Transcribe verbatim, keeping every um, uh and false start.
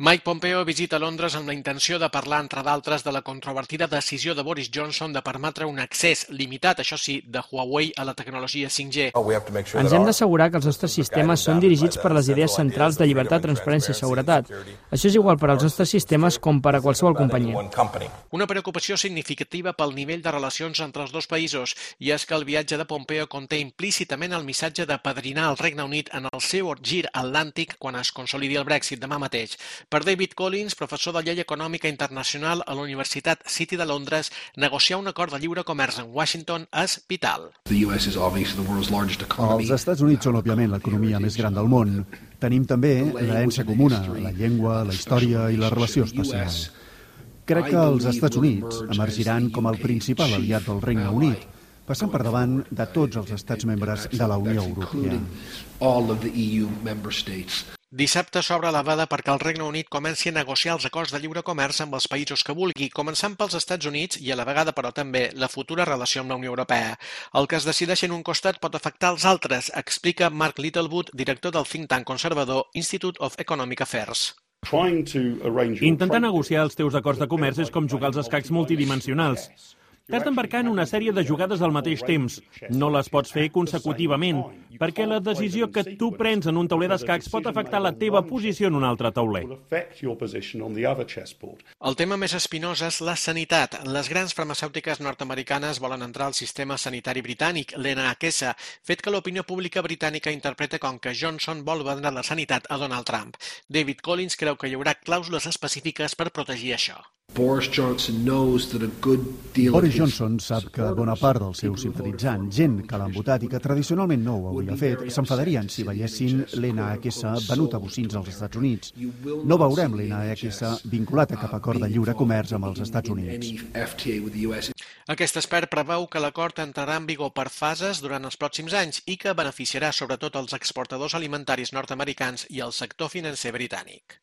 Mike Pompeo visita Londres amb la intenció de parlar, entre d'altres, de la controvertida decisió de Boris Johnson de permetre un accés limitat, això sí, de Huawei a la tecnologia cinc G. Ens hem d'assegurar que els nostres sistemes són dirigits per les idees centrals de llibertat, transparència i seguretat. Això és igual per als nostres sistemes com per a qualsevol companyia. Una preocupació significativa pel nivell de relacions entre els dos països, i és que el viatge de Pompeo conté implícitament el missatge de padrinar el Regne Unit en el seu gir atlàntic quan es consolidi el Brexit demà mateix. Per David Collins, professor de Llei Econòmica Internacional a la Universitat City de Londres, negociar un acord de lliure comerç en Washington és vital. Els Estats Units són, òbviament, l'economia més gran del món. Tenim també l'herència comuna, la llengua, la història i la relació espacial. Crec que els Estats Units emergiran com el principal aliat del Regne Unit, passant per davant de tots els estats membres de la Unió Europea. Dissabte s'obre la veda perquè el Regne Unit comenci a negociar els acords de lliure comerç amb els països que vulgui, començant pels Estats Units i a la vegada, però també, la futura relació amb la Unió Europea. El que es decideixi en un costat pot afectar els altres, explica Mark Littlewood, director del think tank conservador Institute of Economic Affairs. Intentar negociar els teus acords de comerç és com jugar als escacs multidimensionals. T'has d'embarcar en una sèrie de jugades al mateix temps. No les pots fer consecutivament, perquè la decisió que tu prens en un tauler d'escacs pot afectar la teva posició en un altre tauler. El tema més espinós és la sanitat. Les grans farmacèutiques nord-americanes volen entrar al sistema sanitari britànic, l'N H S, fet que l'opinió pública britànica interpreta com que Johnson vol vendre la sanitat a Donald Trump. David Collins creu que hi haurà clàusules específiques per protegir això. Boris Johnson sap que bona part dels seus simpatitzants, gent que l'han votat i que tradicionalment no ho hauria fet, s'enfadarien si veiessin l'N H S venut a bocins als Estats Units. No veurem l'N H S vinculat a cap acord de lliure comerç amb els Estats Units. Aquest expert preveu que l'acord entrarà en vigor per fases durant els pròxims anys i que beneficiarà sobretot els exportadors alimentaris nord-americans i el sector financer britànic.